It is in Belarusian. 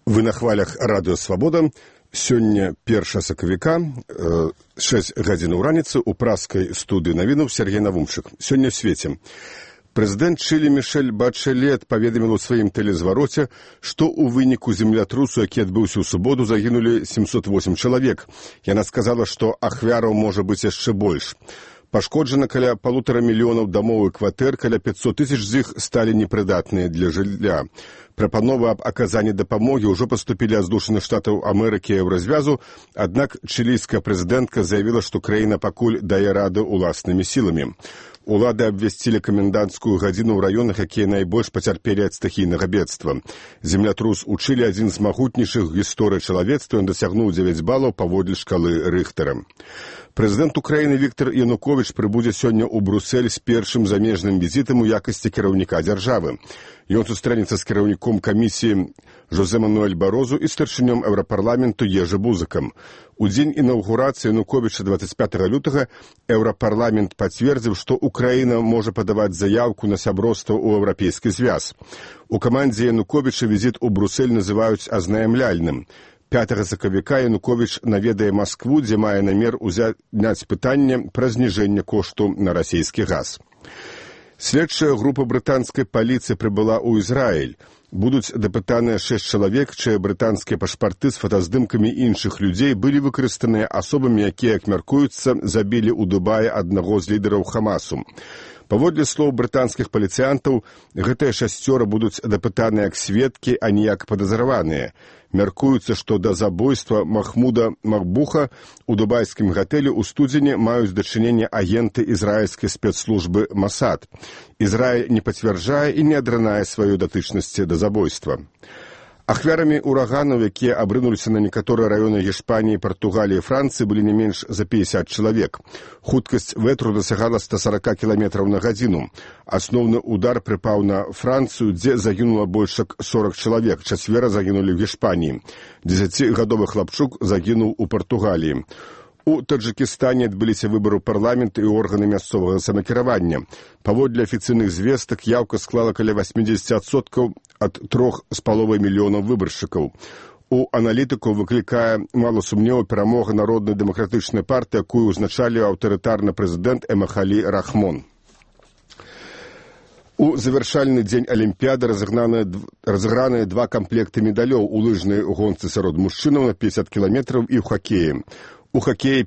Вы на хвалях радыё «Свабода». Сёння 1 сакавіка, 6 гадзін у раніцы, у праскай студыі навінаў Сергей Навумчык. Сёння в свеце. Прэзідэнт Чылі Мішэль Бачэлет паведаміла ў сваім тэлезвароце, што ў выніку землятрусу, які адбыўся ў суботу, загінулі 708 чалавек. Яна сказала, што ахвяраў можа быць яшчэ больш. Пашкоджана каля 1,5 мільёнаў дамоў і кватэр, каля 500 тысяч з іх сталі непрыдатныя для жылля. Прапановы аб аказанні дапамогі ўжо паступілі ад Злучаных Штатаў Амерыкі і Еўразвязу, аднак чылійская прэзідэнтка заявіла, што краіна пакуль дае рады ўласнымі сіламі. Улады абвясцілі каменданцкую гадзіну ў раёнах, якія найбольш пацярпелі ад стыхійнага бедства. Землятрус у Чылі адзін з магутнейшых гісторый чалавецтва, ён дасягнуў 9 балаў паводле шкалы Рыхтера. Прэзідэнт Украіны Віктор Януковіч прыбудзе сёння ў Брусэль з першым замежным візітам у якасці кіраўніка дзяржавы. Ён сустрэнецца з кіраўніком камісіі Жозе Мануэль Барозу і старшынём Еўрапарламенту Ежы Бузыкам. У дзень інаўгурацыі Януковіча 25 лютага Еўрапарламент пацвердзіў, што Украіна можа падаваць заяўку на сяброўства ў Еўрапейскі звяз. У камандзе Януковіча візіт у Брусэль называюць азнаямляльным. 5 сакавіка Януковіч наведае Маскву, дзе мае намер узняць пытанне пра зніжэнне кошту на расійскі газ. Следчая група брытанскай паліцыі прыбыла ў Ізраіль. Будуць дапытаныя 6 чалавек, чыя брытанскія пашпарты з фотаздымкамі іншых людзей былі выкарыстаныя асобамі, якія, як мяркуецца, забілі ў Дубаі аднаго з лідараў Хамасу. Паводле слоў брытанскіх паліцыянтаў, гэтыя 6 будуць дапытаныя як сведкі, а не як падазраваныя. Мяркуецца, што да забойства Махмуда Махбуха у дубайскім гатэлі ў студзені маюць дачыненне агенты ізраільскай спецслужбы Масад. Ізраіль не пацвярджае і не адранае сваёй датычнасці да забойства. Ахвярамі ураганаў, якія абрынуліся на некаторыя раёны Гішпаніі, Партугаліі і Францыі, былі не менш за 50 чалавек. Хуткасць ветру дасягала 140 км на гадзіну. Асноўны удар прыпаў на Францыю, дзе загінула больш як 40 чалавек. 4 загінулі ў Гішпаніі. 10-гадовы хлапчук загінуў у Партугаліі. У Таджыкістане адбыліся выбары ў парламент і органы мясцовага самакіравання. Паводле афіцыйных звестак яўка склала каля 80% ад 3,5 мільёнаў выбаршчыкаў. У аналітыкаў выклікае мала сумневу перамога Народнай дэмакратычнай партыі, якую ўзначаліў аўтарытарны прэзідэнт Эмахалі Рахмон. У завяршальны дзень Алімпіяды разыграныя 2 камплекты медалёў у лыжнай гонцы сярод мужчынаў на 50 кіламетраў і ў хакеі. У хакеі